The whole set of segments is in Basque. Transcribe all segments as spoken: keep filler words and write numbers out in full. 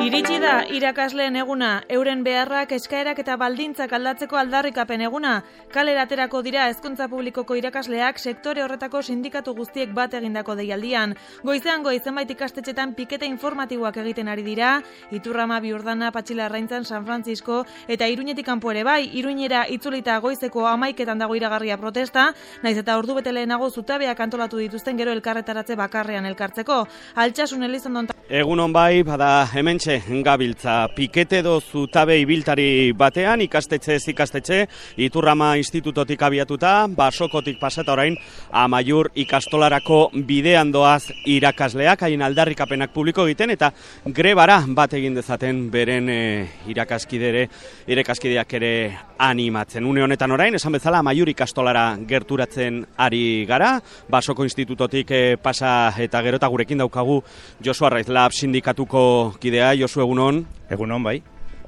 Iritsi da irakasleen eguna, euren beharrak, eskaerak eta baldintzak aldatzeko aldarrikapen eguna. Kalera aterako dira hezkuntza publikoko irakasleak sektore horretako sindikatu guztiek bat egindako deialdian. Goizean goiz zenbait ikastetxetan pikete informatiboak egiten ari dira, Iturrama, Biurdana, Patxilarraintzan, San Francisco eta Iruñetik kanpo ere bai, Iruñera itzulita goizeko hamaiketan dago iragarria protesta, naiz eta ordu bete lehenago zutabeak antolatu dituzten gero elkarretaratze bakarrean elkartzeko. Altsasun Elizondon. Egunon bai, bada hementxe gabiltza pikete do zutabe ibiltari batean, ikastetxe ez ikastetxe, Iturrama institutotik abiatuta, Basokotik pasata orain, Amaiur ikastolarako bidean doaz irakasleak, haien aldarrikapenak publiko egiten, eta grebara bat egin dezaten beren e, irakaskidere, irakaskideak ere animatzen. Une honetan orain, esan bezala, Amaiur ikastolara gerturatzen ari gara, Basoko institutotik e, pasa eta gero eta gurekin daukagu Josu Arraiz Lab sindikatuko kidea. Josu, egunon. Egunon, bai.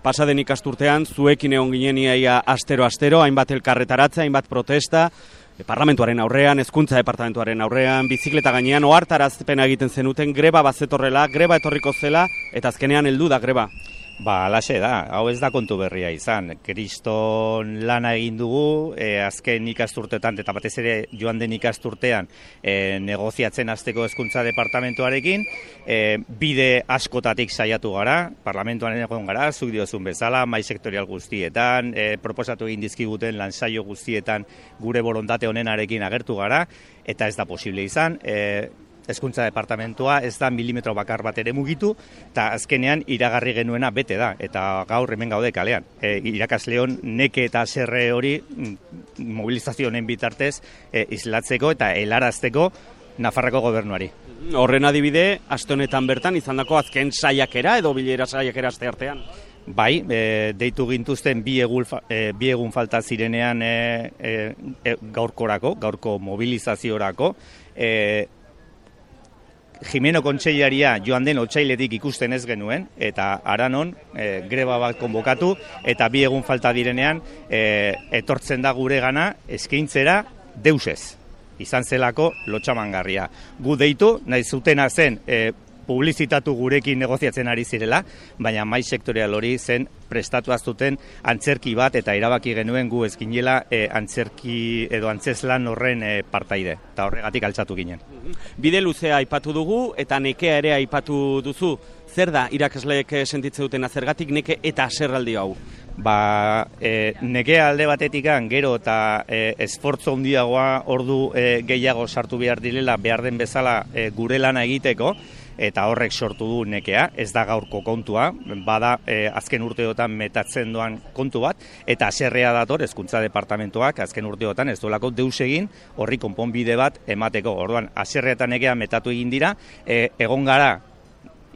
Pasaden ikasturtean, zuekin egon ginen iaia astero-astero, hainbat elkarretaratze, hainbat protesta, e, parlamentuaren aurrean, hezkuntza departamentuaren aurrean, bizikleta gainean, ohartarazpena egiten zenuten, greba bazetorrela, greba etorriko zela, eta azkenean heldu da greba. Ba, alaxe da, hau ez da kontu berria izan. Kriston lana egin dugu, e, azken ikasturteetan, eta batez ere joan den ikasturtean, e, negoziatzen hasteko hezkuntza departamentuarekin, e, bide askotatik saiatu gara, parlamentuaren egon gara, zuk diozun bezala, mai sektorial guztietan, e, proposatu egin dizkiguten lansaio guztietan gure borontate honenarekin agertu gara, eta ez da posible izan, e, hezkuntza departamentua ez da milimetro bakar bat ere mugitu, eta azkenean iragarri genuena bete da, eta gaur hemen gaude kalean. E, irakasleon neke eta serre hori mobilizazio honen bitartez e, islatzeko eta helarazteko Nafarroko gobernuari. Horren adibide, aste honetan bertan izandako azken saiakera edo bilera saiakera aste artean. Bai, e, deitu gintuzten bi, egul, e, bi egun falta zirenean e, e, gaurkorako, gaurko mobilizaziorako, e, Jimeno Kontseilaria joan den otsailetik ikusten ez genuen, eta haranon e, greba bat konbokatu, eta bi egun falta direnean e, etortzen da gure gana eskaintzera deusez. Izan zelako lotxamangarria. Gu deitu, nahi zutena zen e, publizitatu gurekin negoziatzen ari zirela, baina mai sektorial hori zen prestatu aztuten antzerki bat, eta erabaki genuen gu ezkinela e, antzerki edo antzeslan horren e, partaide, eta horregatik altxatu ginen. Bide luzea aipatu dugu, eta nekea ere aipatu duzu. Zer da irakasleek sentitze dutena, zergatik neke eta zerraldi hau? Ba, e, nekea alde batetikan gero eta e, esfortzo handiagoa ordu e, gehiago sartu behar direla behar den bezala e, gure lana egiteko, eta horrek sortu du nekea, ez da gaurko kontua, bada e, azken urteotan metatzen doan kontu bat, eta haserrea dator hezkuntza departamentuak azken urteotan ez duelako deus egin horri konponbide bat emateko. Orduan, haserrea eta nekea metatu egin dira, e, egon gara,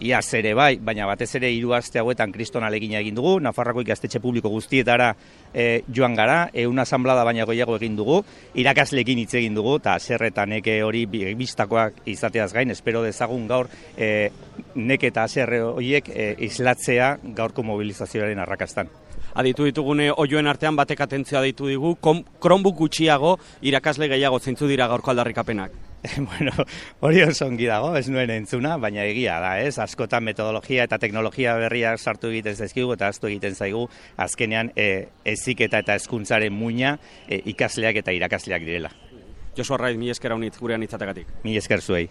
iaz ere bai, baina batez ere hiru aste hauetan kriston ahalegina egin dugu, Nafarroako ikastetxe publiko guztietara e, joan gara, ehun asanblada baina gehiago egin dugu, irakasleekin hitz egin dugu, eta haserre eta neke hori bistakoak izateaz gain, espero dezagun gaur e, neke eta haserre horiek e, islatzea gaurko mobilizazioaren arrakastan. Aditu ditugune oioen artean batek atentzioa ditu digu, Chromebook gutxiago irakasle gehiago zeintzu dira gaurko aldarrikapenak. Bueno, hori oso ongi dago, ez nuen entzuna, baina egia da, ez? Askotan metodologia eta teknologia berriak sartu egiten zaizkigu eta aztu egiten zaigu, azkenean e, heziketa eta hezkuntzaren muina e, ikasleak eta irakasleak direla. Josu Arraiz, mi esker haunitz gurean itzatagatik. Mi esker zuei.